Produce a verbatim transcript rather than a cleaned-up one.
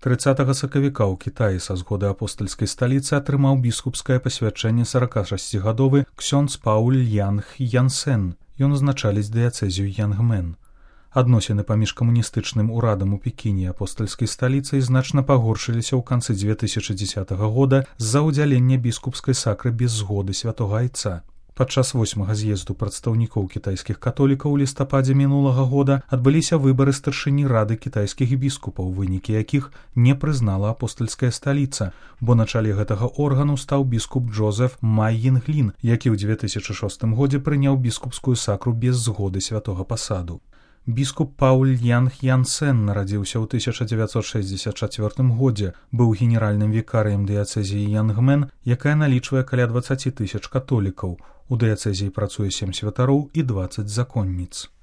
трыццатага сакавіка ў Кітаі са згоды апостальскай сталіцы атрымаў біскупскае пасвячэнне саракашасцігадовы ксёндз Пауль Янг Янсен. Ён узначаліць дыяцэзію Янгмен. Адносіны паміж камуністычным урадам у Пекіне і апостальскай сталіцай значна пагоршыліся ў канцы дзве тысячы дзесятага года з-за ўдзялення біскупскай сакры без згоды святога айца. Падчас восьмага з'езду прадстаўнікоў кітайскіх католікаў у лістападзе мінулага года адбыліся выбары старшыні рады кітайскіх біскупаў, вынікі якіх не прызнала апостальская сталіца, бо на чале гэтага органу стаў біскуп Джозеф Май Йінглін, які ў дзве тысячы шостым годзе прыняў біскупскую сакру без згоды святога пасаду. Біскуп Пауль Янг Янсен нарадзіўся ў тысяча дзевяцьсот шэсцьдзесят чацвёртым годзе, быў генеральным вікарыем дыяцэзіі Янгмен, якая налічвае каля дваццаці тысяч католікаў. У дыяцэзіі працуе сем святароў і дваццаць законніц.